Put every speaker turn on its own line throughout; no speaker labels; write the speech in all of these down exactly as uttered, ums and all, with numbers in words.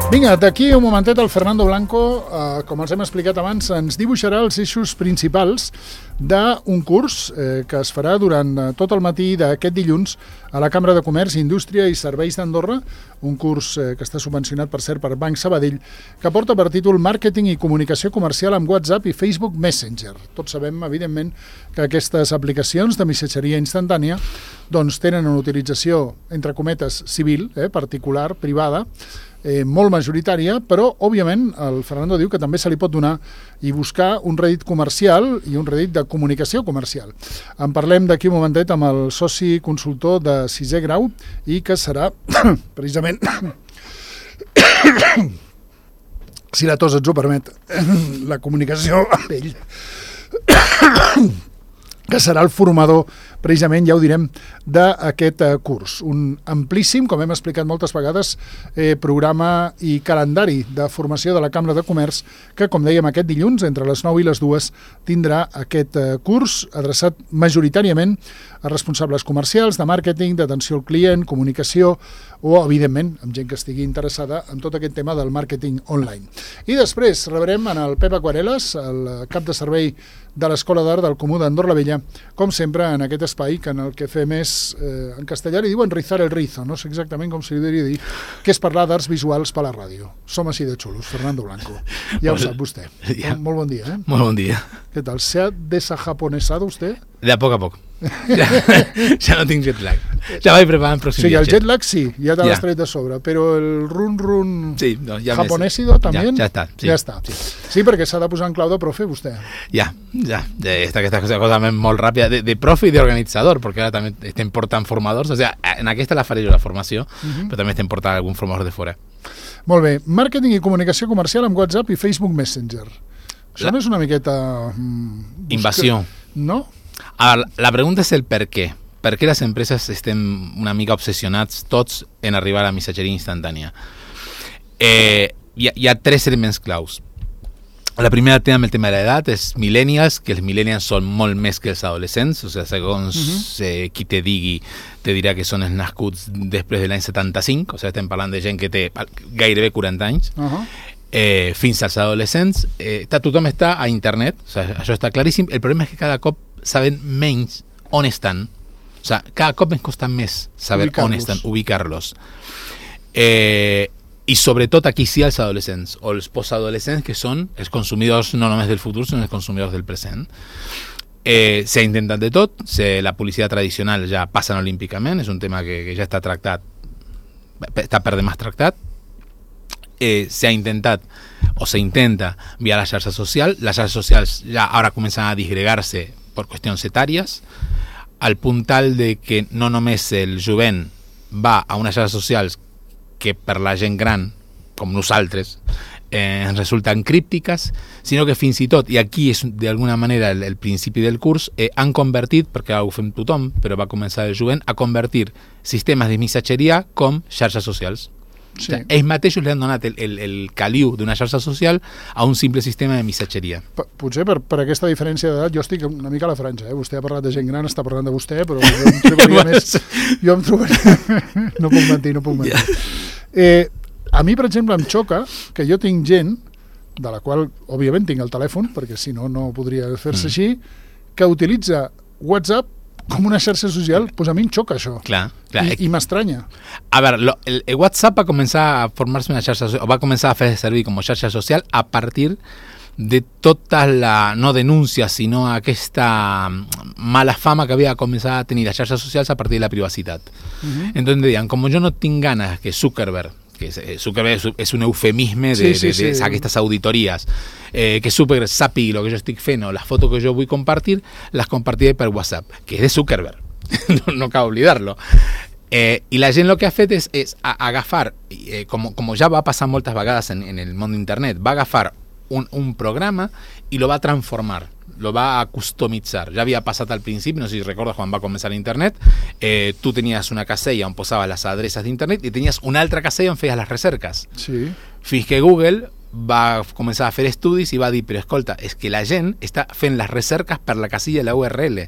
Vinga, d'aquí un momentet el Fernando Blanco, eh, com els hem explicat abans, ens dibuixarà els eixos principals d'un curs eh, que es farà durant eh, tot el matí d'aquest dilluns a la Cambra de Comerç, Indústria i Serveis d'Andorra, un curs eh, que està subvencionat, per cert, per Banc Sabadell, que porta per títol Màrqueting i comunicació comercial amb WhatsApp i Facebook Messenger. Tots sabem, evidentment, que aquestes aplicacions de missatgeria instantània doncs, tenen una utilització, entre cometes, civil, eh, particular, privada, Eh, molt majoritària, però, òbviament, el Fernando diu que també se li pot donar i buscar un rèdit comercial i un rèdit de comunicació comercial. En parlem d'aquí un momentet amb el soci consultor de sisè grau i que serà, precisament, si la tos ens ho permet, la comunicació amb ell, que serà el formador, precisament, ja ho direm, d'aquest eh, curs. Un amplíssim, com hem explicat moltes vegades, eh, programa i calendari de formació de la Cambra de Comerç, que, com dèiem, aquest dilluns, entre les nou i les dues, tindrà aquest eh, curs adreçat majoritàriament a responsables comercials, de màrqueting, d'atenció al client, comunicació, o, evidentment, amb gent que estigui interessada en tot aquest tema del màrqueting online. I després rebrem en el Pep Aquarelas, el cap de servei de l'Escola d'Art del Comú d'Andorra la Vella, com sempre, en aquest espai que en el que fem és, eh, en castellà li diuen rizar el rizo, no sé exactament com se li diria dir, que és parlar d'arts visuals per la ràdio. Som així de xulos, Fernando Blanco. Ja ho sap vostè. Ja. Molt, molt bon dia, eh?
Molt bon dia.
¿Qué tal? ¿Se ha desajaponesado usted?
De a poc a poc. Ja, ja no tinc jet lag. Ja vaig preparant pròxim
sí,
viatge.
El jet lag sí, ja te l'has tret de sobre, però el run run
sí, no, ja
japonesido també
ja, ja està. Sí,
ja està. Sí, sí perquè s'ha de posar en clau de profe vostè.
Ja, ja. Esta, aquesta cosa, cosa molt ràpida de, de profe i d'organitzador, perquè ara també estem portant formadors, o sigui, en aquesta la faré jo la formació, uh-huh. però també estem portant algun formador de fora.
Molt bé, màrqueting i comunicació comercial amb WhatsApp i Facebook Messenger. Això la... no és una miqueta... Mm,
invasió.
No?
Ara, la pregunta és el per què. Per què les empreses estem una mica obsessionats tots en arribar a la missatgeria instantània? Eh, hi, ha, hi ha tres elements claus. La primera té amb el tema de l'edat, és millennials, que els millennials són molt més que els adolescents, o sigui, segons uh-huh. eh, qui te digui, te dirà que són els nascuts després de l'any setanta-cinc, o sigui, estem parlant de gent que té gairebé quaranta anys, uh-huh. eh, fins als adolescents. Eh, tothom està a internet, o sigui, això està claríssim. El problema és que cada cop saben menys on estan, o sigui, cada cop ens costa més saber on estan, ubicar-los. Eh, i sobretot aquí sí els adolescents o els postadolescents, que són els consumidors no només del futur, sinó els consumidors del present. Eh, s'ha intentat de tot, se, la publicitat tradicional ja passa olímpicament, és un tema que, que ja està tractat, està per demás tractat. Eh, s'ha intentat o s'intenta via la xarxa social. Les xarxes socials ja ara comencen a disgregar-se per qüestions etàries, al punt tal de que no només el jovent va a unes xarxes socials que per la gent gran, com nosaltres, eh, ens resulten críptiques, sinó que fins i tot, i aquí és d'alguna manera el, el principi del curs, eh, han convertit, perquè ho fem tothom, però va començar el jovent, a convertir sistemes de missatgeria com xarxes socials. Sí. O sigui, ells mateixos li han donat el, el, el caliu d'una xarxa social a un simple sistema de missatgeria.
P potser per, per aquesta diferència d'edat jo estic una mica a la franja, eh? Vostè ha parlat de gent gran, està parlant de vostè, però jo em trobaria més... Jo em trobaria... no puc mentir, no puc mentir. Yeah. Eh, a mi, per exemple, em xoca que jo tinc gent, de la qual, òbviament, tinc el telèfon, perquè si no, no podria fer-se mm. així, que utilitza WhatsApp com una xarxa social, doncs a mi em xoca això.
Clar, clar.
I, i m'estranya.
A veure, lo, el, el WhatsApp va començar a formar-se una xarxa social, o va començar a fer servir com a xarxa social a partir de tota la, no denúncia, sinó aquesta mala fama que havia començat a tenir les xarxes socials a partir de la privacitat. Uh-huh. Entonces deien, com jo no tinc ganes que Zuckerberg, que Zuckerberg és un eufemisme de, sí, sí, de, de, de aquestes auditories, eh, que Zuckerberg sàpiga el que jo estic fent o les fotos que jo vull compartir, les compartiré per WhatsApp, que és de Zuckerberg, no, no cal oblidar-lo. Eh, I la gent el que ha fet és, és agafar, eh, com, com ja va passar moltes vegades en, en el món d'internet, va agafar un, un programa i lo va transformar, lo va a customitzar. Ja havia passat al principi, no sé si recordes quan va començar l'internet, eh, tu tenies una casella on posaves les adreces d'internet i tenies una altra casella on feies les recerques.
Sí.
Fins que Google va començar a fer estudis i va dir, però escolta, és que la gent està fent les recerques per la casilla de la U R L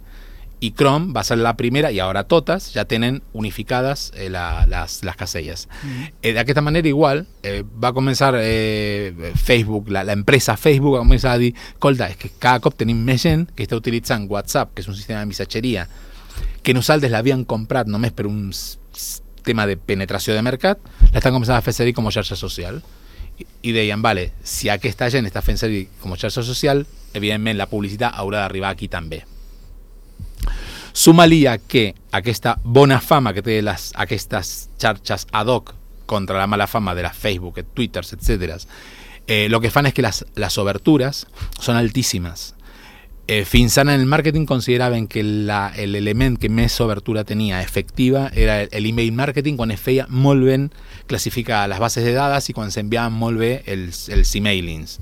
i Chrome va ser la primera, i ara totes ja tenen unificades eh, la, les, les caselles. Mm. Eh, D'aquesta manera, igual, eh, va començar eh, Facebook, la, la empresa Facebook va començar a dir, escolta, és que cada cop tenim més gent que està utilitzant WhatsApp, que és un sistema de missatgeria, que nosaltres l'havien comprat només per un tema de penetració de mercat, l'estan començant a fer servir com a xarxa social. I, i deien, vale, si aquesta gent està fent servir com a xarxa social, evidentment la publicitat haurà d'arribar aquí també. Suma-li a que aquesta bona fama que té les, aquestes xarxes ad hoc contra la mala fama de la Facebook, Twitter, etcètera, eh, lo que fan és que les, les obertures són altíssimes. Eh, fins ara en el màrqueting consideraven que l'element que més obertura tenia efectiva era l'email marketing, quan es feia molt ben classificar les bases de dades i quan s'enviaven molt bé els, els emailings.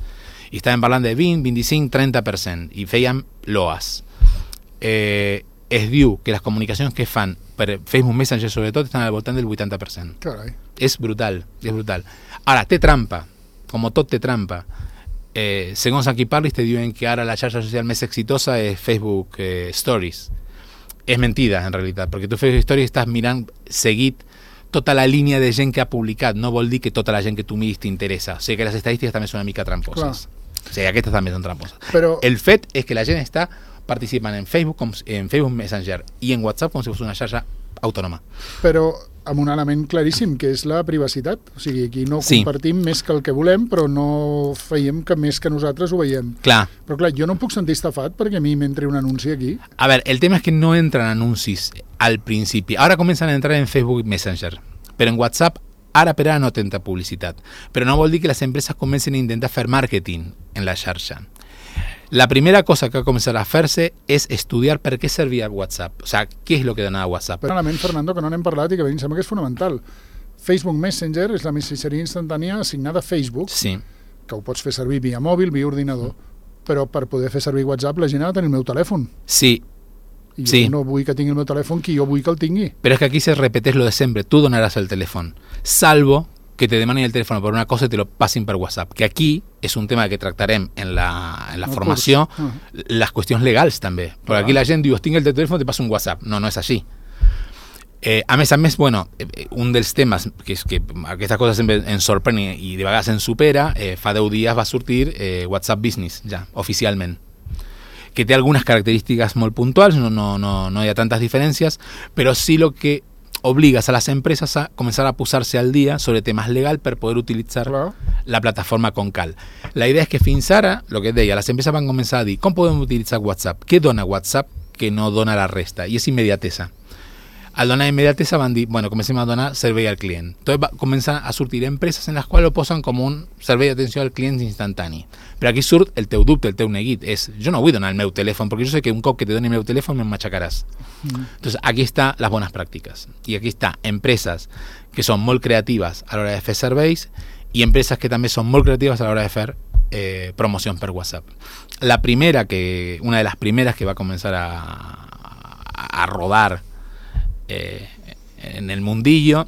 I estaven parlant de vint, vint-i-cinc, trenta per cent i feien loas. Eh, es diu que les comunicacions que fan per Facebook Messenger sobretot estan al voltant del vuitanta per cent.
Carai.
És brutal, és brutal. Ara, té trampa, com tot té trampa. Eh, segons a qui parlis te diuen que ara la xarxa social més exitosa és Facebook eh, Stories. És mentida, en realitat, perquè tu Facebook Stories estàs mirant seguit tota la línia de gent que ha publicat, no vol dir que tota la gent que tu miris t'interessa. O sigui que les estadístiques també són una mica tramposes. Clar. O sigui, aquestes també són tramposes. Però... el fet és que la gent està participant en Facebook, com, en Facebook Messenger i en WhatsApp com si fos una xarxa autònoma.
Però amb un element claríssim, que és la privacitat. O sigui, aquí no
sí.
compartim més que el que volem, però no veiem que més que nosaltres ho veiem.
Clar.
Però clar, jo no puc sentir estafat perquè a mi m'entra un anunci aquí.
A veure, el tema és que no entren anuncis al principi. Ara comencen a entrar en Facebook Messenger, però en WhatsApp ara per ara no tenta publicitat. Però no vol dir que les empreses comencen a intentar fer màrqueting en la xarxa. La primera cosa que va començar a fer-se és estudiar per què servia WhatsApp. O sigui, què és el que donava WhatsApp.
Però un element, Fernando, que no n'hem parlat i que a mi em sembla que és fonamental. Facebook Messenger és la missatgeria instantània assignada a Facebook,
sí.
que ho pots fer servir via mòbil, via ordinador, però per poder fer servir WhatsApp la gent ha de tenir el meu telèfon.
Sí.
I jo
sí.
no vull que tingui el meu telèfon qui jo vull que el tingui.
Però és que aquí se repeteix lo de sempre. Tu donaràs el telèfon, salvo que te demanen el teléfono por una cosa y te lo pasen por WhatsApp. Que aquí és un tema que tractarem en la, en la formació, uh -huh. les qüestions legals també. Perquè uh -huh. aquí la gent diu, tinc el telèfon, te passo un WhatsApp. No, no és així. Eh, a més a més, bueno, un dels temes que és que aquestes coses sempre ens sorprèn i de vegades ens supera, eh, fa deu dies va sortir eh, WhatsApp Business, ja, oficialment, que té algunes característiques molt puntuals, no, no, no, no hi ha tantes diferències, però sí lo que obligas a las empresas a comenzar a posar-se al día sobre temas legal per poder utilitzar claro. la plataforma con cal. La idea és que fins ara, lo que deia, les empreses van començar a dir com podem utilitzar WhatsApp, què dona WhatsApp que no dona la resta, i és immediatesa. Al donar immediatesa van dir, bueno, comencem a donar servei al client. Entonces va començar a sortir empreses en les quals ho posen com un servei d'atenció al client instantani. Però aquí surt el teu dubte, el teu neguit, és, jo no vull donar el meu telèfon, perquè jo sé que un cop que te doni el meu telèfon me'n matxacaràs. Mm. Entonces aquí està les bones pràctiques. I aquí està empreses que són molt creatives a l'hora de fer serveis i empreses que també són molt creatives a l'hora de fer eh, promocions per WhatsApp. La primera, que una de les primeres que va començar a, a, a rodar Eh, en el mundillo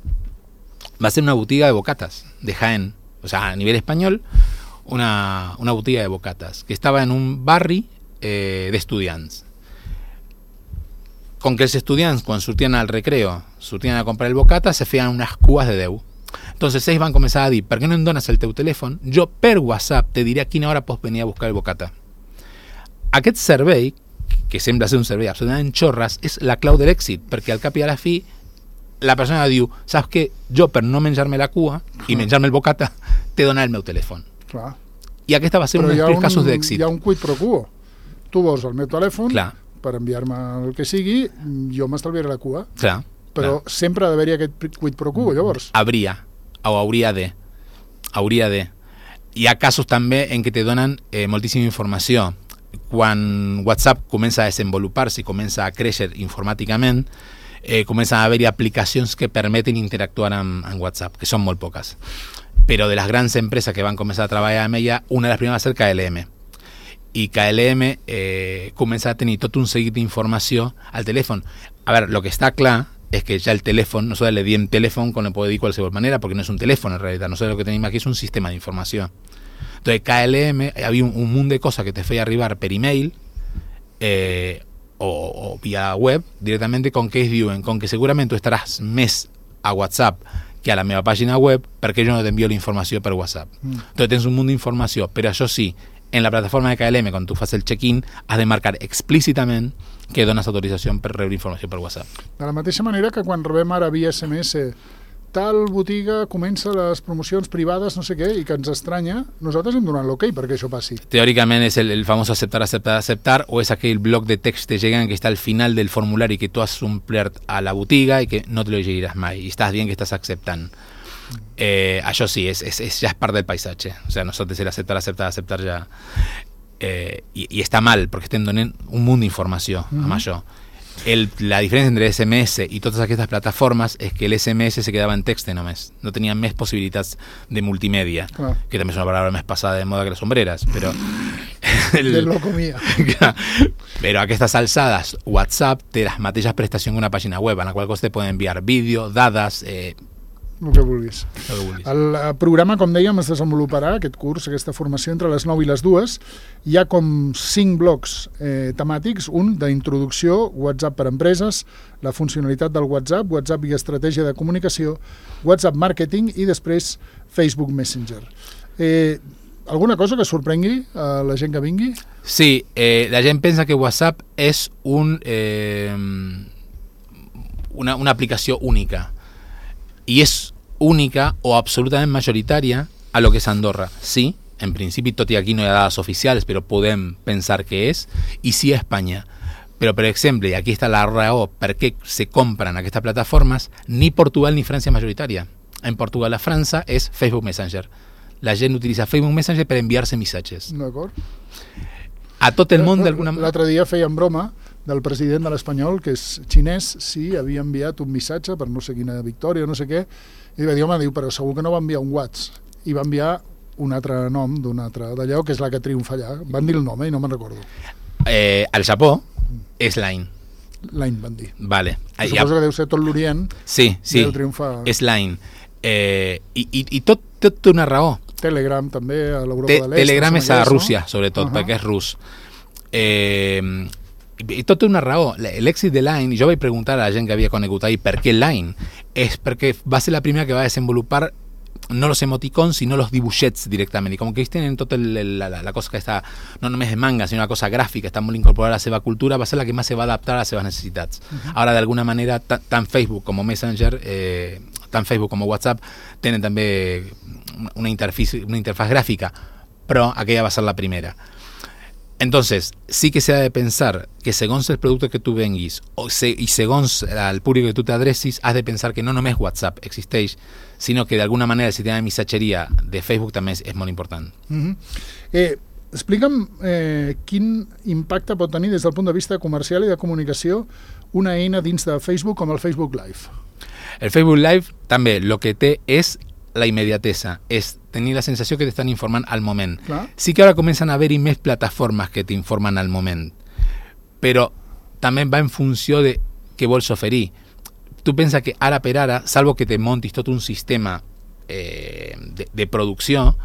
va a ser una botiga de bocatas de Jaén, o sea, a nivel español, una, una botiga de bocatas que estava en un barri eh, d'estudiants. Com que els estudiants, quan sortien al recreo, sortien a comprar el bocata, se feien unes cues de deu. Entonces ells van començar a dir, per què no em dones el teu telèfon? Jo per WhatsApp te diré a quina hora pots venir a buscar el bocata. Aquest servei, que sembla ser un servei absolutament xorres, és la clau de l'èxit, perquè al cap i a la fi la persona diu, saps què? Jo per no menjar-me la cua i menjar-me el bocata te donaré el meu telèfon.
Clar.
I aquesta va ser un dels casos d'èxit.
Hi ha un quid pro quo. Tu vols el meu telèfon
clar.
Per enviar-me el que sigui, jo m'estalviaré la cua.
Clar.
Però clar. Sempre ha d'haver-hi aquest quid pro quo, llavors.
Habria, o hauria de. Hauria de. Hi ha casos també en què te donen eh, moltíssima informació. Quan WhatsApp comença a desenvolupar-se i comença a créixer informàticament, eh, comencen a haver-hi aplicacions que permeten interactuar amb, amb WhatsApp, que són molt poques. Però de les grans empreses que van començar a treballar amb ella, una de les primeres va ser K L M. I K L M eh, comença a tenir tot un seguit d'informació al telèfon. A veure, el que està clar és que ja el telèfon, nosotros le diem telèfon com le puede dir de qualsevol manera, perquè no és un telèfon en realitat, nosotros lo que tenim aquí és un sistema d'informació. Entonces K L M, había un, un mundo de cosas que te feia arribar per email, eh, o, o via web, directament con què es diuen, com que segurament tu estaràs més a WhatsApp que a la meva pàgina web, perquè jo no t'envio la informació per WhatsApp. Mm. Entonces tens un munt d'informació, però això sí, en la plataforma de K L M, quan tu fas el check-in, has de marcar explícitament que dones autorització per rebre informació per WhatsApp.
De la mateixa manera que quan rebem ara via S M S tal botiga comença les promocions privades, no sé què, i que ens estranya, nosaltres hem donat l'ok perquè això passi.
Teòricament és el, el famós aceptar, aceptar, aceptar, o és aquell bloc de text que lleguen que està al final del formulari que tu has omplert a la botiga i que no te lo llegiràs mai, i estàs dient que estàs acceptant. Eh, això sí, és, és, és, ja és part del paisatge. O sea, nosotros el aceptar, aceptar, aceptar ja... Eh, i, i està mal, perquè estem donant un munt d'informació mm-hmm. amb això. El, la diferència entre S M S i totes aquestes plataformes és que el S M S se quedava en text només, no tenia més possibilitats de multimèdia, ah. que també és una paraula més passada de moda que les sombreres, però
el, de lo comia.
Però a aquestes alçades WhatsApp té les mateixes prestacions que una pàgina web, en la qual cosa te poden enviar vídeo, dades, eh,
el que vulguis.
El que vulguis.
El programa, com dèiem, es desenvoluparà, aquest curs, aquesta formació, entre les nou i les dues. Hi ha com cinc blocs eh, temàtics, un d'introducció, WhatsApp per empreses, la funcionalitat del WhatsApp, WhatsApp i estratègia de comunicació, WhatsApp marketing i després Facebook Messenger. Eh, alguna cosa que sorprengui a la gent que vingui?
Sí, eh, la gent pensa que WhatsApp és un, eh, una, una aplicació única. I és única o absolutament majoritària a lo que és Andorra. Sí, en principi, tot i aquí no hi ha dades oficials, però podem pensar que és, i sí a Espanya. Però, per exemple, i aquí està la raó per què se compren aquestes plataformes, ni Portugal ni França majoritària. En Portugal a França és Facebook Messenger. La gent utilitza Facebook Messenger per enviar-se missatges.
D'acord.
A tot el món d'alguna manera...
L'altre dia feien broma del president de l'Espanyol, que és xinès, sí, havia enviat un missatge per no sé quina victòria, no sé què, i va dir, home, diu, però segur que no va enviar un WhatsApp. I va enviar un altre nom d'un altre d'allò, que és la que triomfa allà. Van dir el nom, eh, i no me'n recordo.
Eh, al Japó és Line.
Line van dir.
Vale.
I suposo que deu ser tot l'Orient.
Sí, sí,
triomfar...
és Line. Eh, i, i, I tot, tot té una raó.
Telegram també, a l'Europa
Te,
de l'Est.
Telegram és a Rússia, no? Sobretot, uh-huh. perquè és rus. Eh... I tot té una raó. L'èxit de Line, jo vaig preguntar a la gent que havia conegut ahir per què Line, és perquè va ser la primera que va desenvolupar no los emoticons, sinó los dibuixets directament, i com que ells tenen tota la, la, la cosa que està no només de manga, sinó una cosa gràfica, està molt incorporada a la seva cultura, va ser la que més se va adaptar a les seves necessitats. Uh-huh. Ara, d'alguna manera, tant Facebook com Messenger, eh, tant Facebook com WhatsApp tenen també una interfaz, una interfaz gràfica, però aquella va ser la primera. Entonces, sí que se ha de pensar que segons el producte que tu venguis o se, i segons el públic que tu t'adrecis, has de pensar que no només WhatsApp existeix, sinó que d'alguna manera el sistema de missatgeria de Facebook també és, és molt important.
Mm-hmm. eh, explica'm eh, quin impacte pot tenir des del punt de vista comercial i de comunicació una eina dins de Facebook com el Facebook Live.
El Facebook Live també el que té és la immediatesa, és tenir la sensació que t'estan informant al moment. Clar. Sí que ara comencen a haver-hi més plataformes que t'informen al moment, però també va en funció de què vols oferir. Tu pensa que ara per ara, salvo que te montis tot un sistema eh, de, de producció,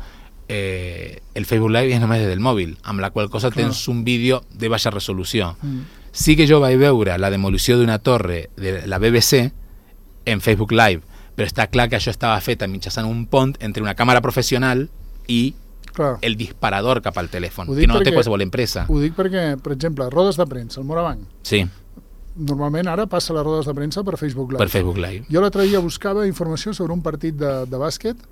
eh, el Facebook Live és només des del mòbil, amb la qual cosa Clar. Tens un vídeo de baixa resolució. Mm. Sí que jo vaig veure la demolició d'una torre de la B B C en Facebook Live, però està clar que això estava fet mitjançant un pont entre una càmera professional i clar. El disparador cap al telèfon, que no perquè, té qualsevol empresa.
Ho dic perquè, per exemple, rodes de premsa, el Morabanc.
Sí.
Normalment ara passa les rodes de premsa per Facebook Live.
Per Facebook Live.
Jo l'altre dia buscava informació sobre un partit de, de bàsquet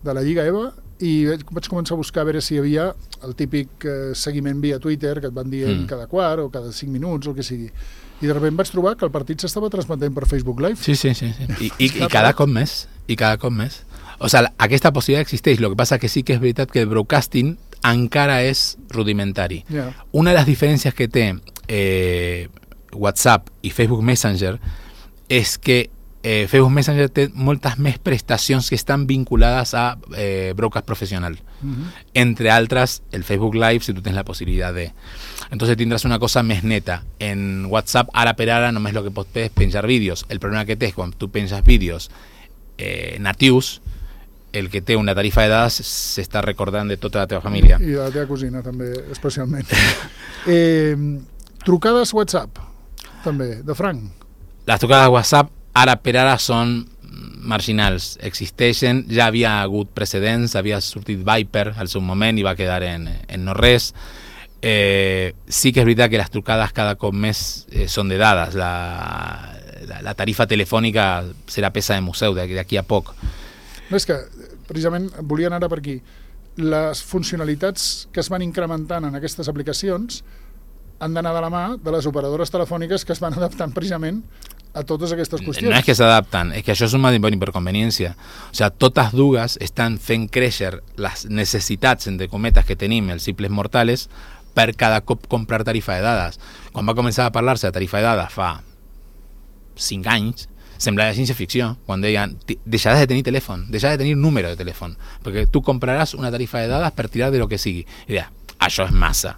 de la Lliga EVA i vaig començar a buscar a veure si hi havia el típic eh, seguiment via Twitter que et van dient mm. cada quart o cada cinc minuts o el que sigui. I de sobte vaig trobar que el partit s'estava transmetent per Facebook Live.
Sí, sí, sí. sí. I, i, i cada cop més. I cada cop més. O sigui, aquesta possibilitat existeix. El que passa que sí que és veritat que el broadcasting encara és rudimentari. Yeah. Una de les diferències que té eh, WhatsApp i Facebook Messenger és que eh, Facebook Messenger té moltes més prestacions que estan vinculades a eh, broadcast professional. Uh-huh. Entre altres, el Facebook Live, si tu tens la possibilitat de... Entonces tindràs una cosa més neta. En WhatsApp, ara per ara, només el que pots fer és penjar vídeos. El problema que té és quan tu penges vídeos eh, natius, el que té una tarifa de dades s'està recordant de tota la teva família.
I de la teva cosina, també, especialment. eh, Trucades WhatsApp, també, de franc.
Les trucades WhatsApp ara per ara són marginals, existeixen, ja havia hagut precedents, havia sortit Viper al seu moment i va quedar en, en no res. Eh, sí que és veritat que les trucades cada cop més eh, són de dades. La, la, la tarifa telefònica serà peça de museu d'aquí a poc.
No, és que precisament volia anar per aquí. Les funcionalitats que es van incrementant en aquestes aplicacions han d'anar de la mà de les operadores telefòniques que es van adaptant precisament a totes aquestes qüestions.
No és que s'adapten, és que això és una hiperconveniència. O sigui, totes dues estan fent créixer les necessitats, entre cometes, que tenim els simples mortals per cada cop comprar tarifa de dades. Quan va començar a parlar-se de tarifa de dades fa cinc anys, semblava ciència-ficció, quan deien deixaràs de tenir telèfon, deixaràs de tenir número de telèfon, perquè tu compraràs una tarifa de dades per tirar de lo que sigui. I deia, això és massa.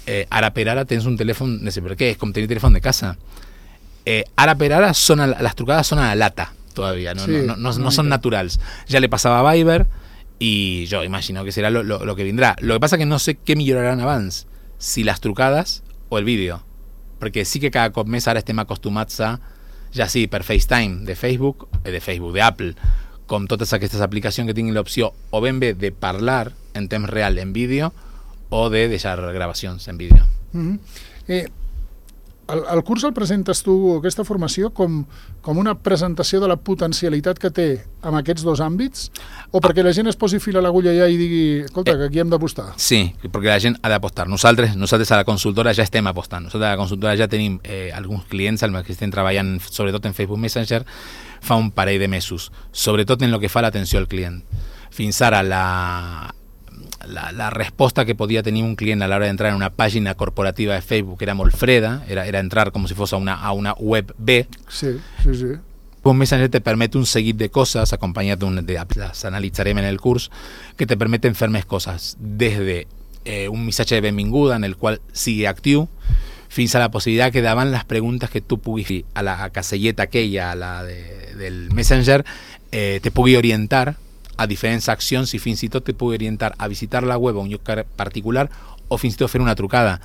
Eh, ara per ara tens un telèfon, no sé per què, és com tenir telèfon de casa. Eh, ara per ara son a, las trucadas son a la lata todavía, no, sí, no, no, no, no son naturales. Ya le pasaba a Viber y yo imagino que será lo, lo, lo que vendrá. Lo que pasa que no sé qué millorarán abans, si las trucades o el vídeo, perquè sí que cada cop més ara estem acostumats a, ja sí, per FaceTime de Facebook, eh, de Facebook, de Apple, com totes aquestes aplicacions que tinguin l'opció o ben bé de parlar en temps real en vídeo o de deixar gravacions en vídeo.
Mm-hmm. eh, el, el curs el presentes tu, aquesta formació, com, com una presentació de la potencialitat que té en aquests dos àmbits, o perquè la gent es posi fil a l'agulla ja i digui, escolta, que aquí hem d'apostar?
Sí, perquè la gent ha d'apostar. Nosaltres, nosaltres a la consultora ja estem apostant. Nosaltres a la consultora ja tenim eh, alguns clients amb els que estem treballant, sobretot en Facebook Messenger, fa un parell de mesos, sobretot en el que fa l'atenció al client. Fins ara la... La, la resposta que podia tenir un client a l'hora d'entrar en una pàgina corporativa de Facebook era molt freda, era, era entrar com si fos a una, a una web B.
Sí, sí, sí.
Un Messenger te permet un seguit de coses, acompanyat d'un, de, les analitzarem en el curs, que te permeten fer més coses, des de eh, un missatge de benvinguda en el qual sigui actiu, fins a la possibilitat que davant les preguntes que tu puguis fer a la caselleta aquella, a la de, del Messenger, eh, te pugui orientar a diferents accions i fins i tot te pugui orientar a visitar la web a un lloc particular o fins i tot fer una trucada,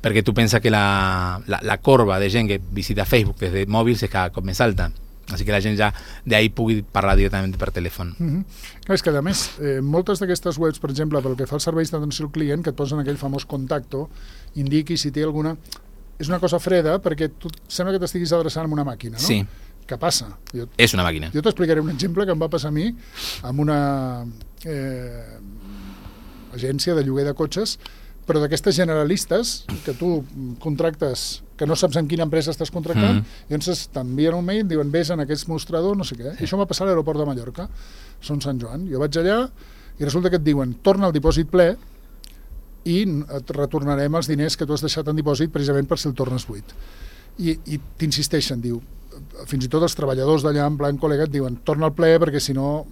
perquè tu pensa que la, la, la corba de gent que visita Facebook des de mòbils és cada cop més alta, així que la gent ja d'ahí pugui parlar directament per telèfon.
Mm-hmm. És que a més, eh, moltes d'aquestes webs, per exemple, pel que fa als serveis d'atenció al client, que et posen aquell famós contacto, indiqui si té alguna... És una cosa freda perquè tu sembla que t'estiguis adreçant a una màquina, no?
Sí.
Què passa? Jo,
és una màquina.
Jo t'explicaré un exemple que em va passar a mi amb una eh, agència de lloguer de cotxes, però d'aquestes generalistes que tu contractes, que no saps en quina empresa estàs contractant, mm. i llavors t'envien un mail, diuen vés en aquest mostrador, no sé què. I això m'ha passat a l'aeroport de Mallorca, Son Sant Joan. Jo vaig allà i resulta que et diuen torna al dipòsit ple i et retornarem els diners que tu has deixat en dipòsit precisament per si el tornes buit. I, i t'insisteixen, diu, fins i tot els treballadors d'allà en plan col·lega et diuen torna al ple perquè si no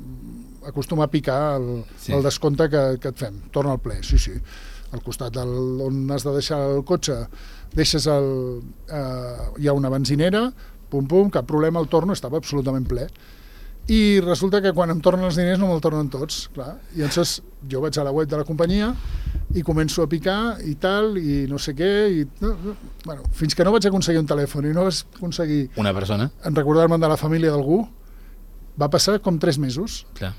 acostuma a picar el, sí. el descompte que, que et fem, torna al ple, sí, sí. Al costat del, on has de deixar el cotxe deixes el... Eh, hi ha una benzinera, pum pum, cap problema, el torno, estava absolutament ple. I resulta que quan em tornen els diners no me'l tornen tots, clar. I llavors jo vaig a la web de la companyia i començo a picar i tal, i no sé què, i... No, no, bueno, fins que no vaig aconseguir un telèfon i no vaig aconseguir...
Una persona?
En recordar-me'n de la família d'algú, va passar com tres mesos.
Clar.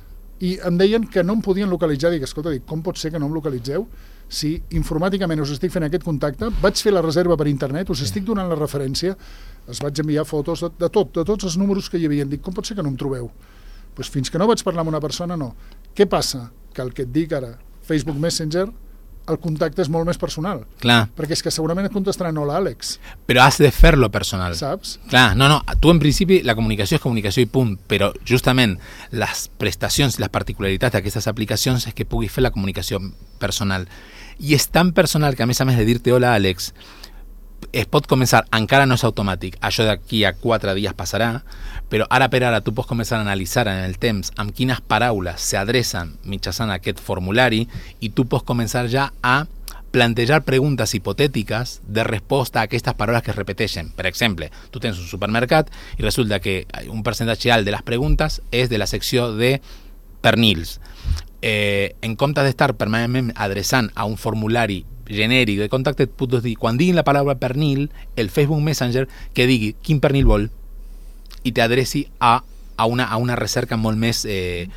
I em deien que no em podien localitzar. Dic, escolta, dic, com pot ser que no em localitzeu si informàticament us estic fent aquest contacte, vaig fer la reserva per internet, us sí. estic donant la referència, es vaig enviar fotos de, de tot, de tots els números que hi havia. Dic, com pot ser que no em trobeu? Pues fins que no vaig parlar amb una persona, no. Què passa? Que el que et dic ara, Facebook Messenger, el contacte és molt més personal.
Clar.
Perquè és que segurament et contestaran hola, Àlex.
Però has de fer-lo personal.
Saps?
Clar, no, no, tu en principi la comunicació és comunicació i punt, però justament les prestacions i les particularitats d'aquestes aplicacions és que puguis fer la comunicació personal. I és tan personal que a més a més de dir-te hola, Àlex, es pot començar, encara no és automàtic, això d'aquí a quatre dies passarà, però ara per ara tu pots començar a analitzar en el temps amb quines paraules s'adrecen mitjançant aquest formulari i tu pots començar ja a plantejar preguntes hipotètiques de resposta a aquestes paraules que es repeteixen. Per exemple, tu tens un supermercat i resulta que un percentatge alt de les preguntes és de la secció de pernils. Eh, en comptes d'estar permanentment adreçant a un formulari genèric de contacte et puc dir, quan diguin la paraula pernil, el Facebook Messenger que digui quin pernil vol i t'adreci a, a, una, a una recerca molt més eh,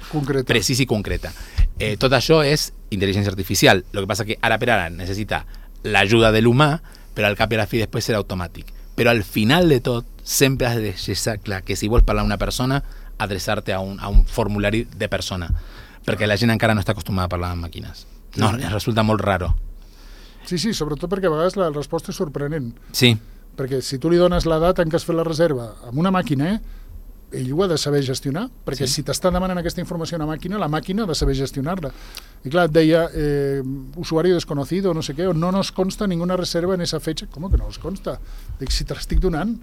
precisa i concreta. Eh, tot això és intel·ligència artificial. El que passa que ara per ara necessita l'ajuda de l'humà, però al cap i a la fi després serà automàtic. Però al final de tot sempre has de deixar clar que si vols parlar a una persona, adreçar-te a un, a un formulari de persona, perquè la gent encara no està acostumada a parlar amb màquines. No, sí. Resulta molt raro.
Sí, sí, sobretot perquè a vegades la resposta és sorprenent.
Sí.
Perquè si tu li dones la data en què has fet la reserva amb una màquina, eh, ell ho ha de saber gestionar, perquè sí. Si t'està demanant aquesta informació a una màquina, la màquina ha de saber gestionar-la. I clar, et deia, eh, usuario desconocido, no sé què, o no nos consta ninguna reserva en esa fecha. Com que no nos consta? Dic, si te l'estic donant,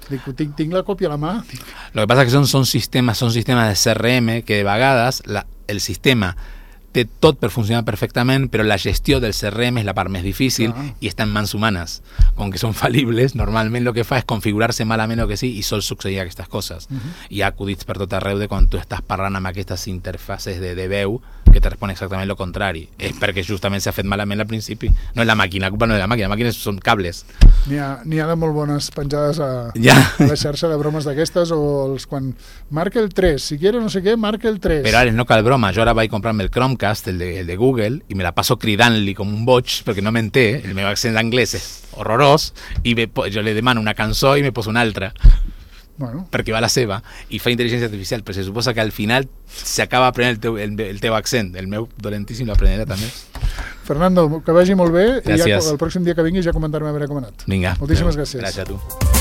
dic, tinc, tinc la còpia a la mà. Dic.
Lo que pasa es que son, son sistemas son sistemas de C R M que de vegades la, el sistema té tot per funcionar perfectament, però la gestió del C R M és la part més difícil ah. i està en mans humanes. Com que són fal·libles, normalment el que fa és configurar-se malament o que sí i sol succeir aquestes coses. Uh -huh. Hi ha acudits per tot arreu de quan tu estàs parlant amb aquestes interfaces de, de veu que te respon exactament el contrari. És perquè justament s'ha fet malament al principi. No és la màquina, la culpa no és la màquina, la màquina són cables.
N'hi ha, n'hi ha de molt bones penjades a,
ja.
a la xarxa de bromes d'aquestes, o els quan marca el tres, si quiere no sé què, marca el tres.
Però ara no cal broma, jo ara vaig comprar-me el Chromecast, el de, el de Google, i me la passo cridant-li com un boig, perquè no m'entén, el meu accent d'anglès és horrorós, i me, jo li demano una cançó i me poso una altra. Bueno. Perquè va la seva i fa intel·ligència artificial, però se suposa que al final s'acaba aprenent el teu, el, el teu accent. El meu dolentíssim l'aprenderà també.
Fernando, que vagi molt bé.
Gràcies.
I ja el pròxim dia que vingui ja comentarem a veure com ha anat.
Vinga.
Moltíssimes gràcies.
Gràcies a tu.